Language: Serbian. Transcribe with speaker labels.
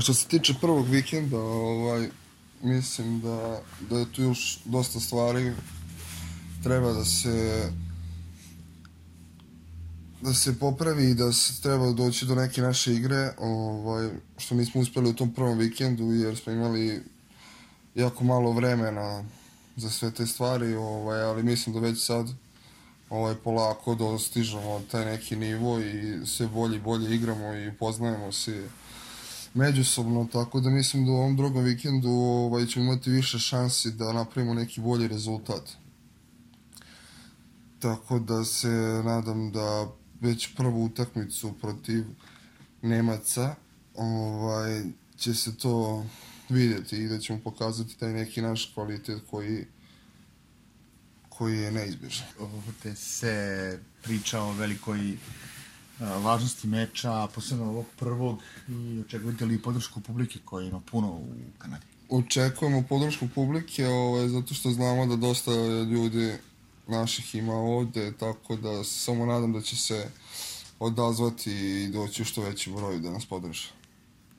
Speaker 1: Što se tiče prvog vikenda, mislim da je tu još dosta stvari. Treba da se popravi i da se treba doći do neke naše igre, što nismo uspjeli u tom prvom vikendu jer smo imali jako malo vremena za sve te stvari, ali mislim da već sad polako dostižemo taj neki nivo i sve bolje i bolje igramo i poznajemo se međusobno, tako da mislim da u ovom drugom vikendu ćemo imati više šansi da napravimo neki bolji rezultat. Tako da se nadam da već prvu utakmicu protiv Nemaca će se to vidjeti i da ćemo pokazati taj neki naš kvalitet koji je neizbježan.
Speaker 2: Ovdje se priča o velikoj važnosti meča, posebno ovog prvog, i očekujete li podršku publike koja ima puno u Kanadi?
Speaker 1: Očekujemo podršku publike, zato što znamo da dosta ljudi naših ima ovde, tako da se samo nadam da će se odazvati i doći u što veći broj da nas podrže.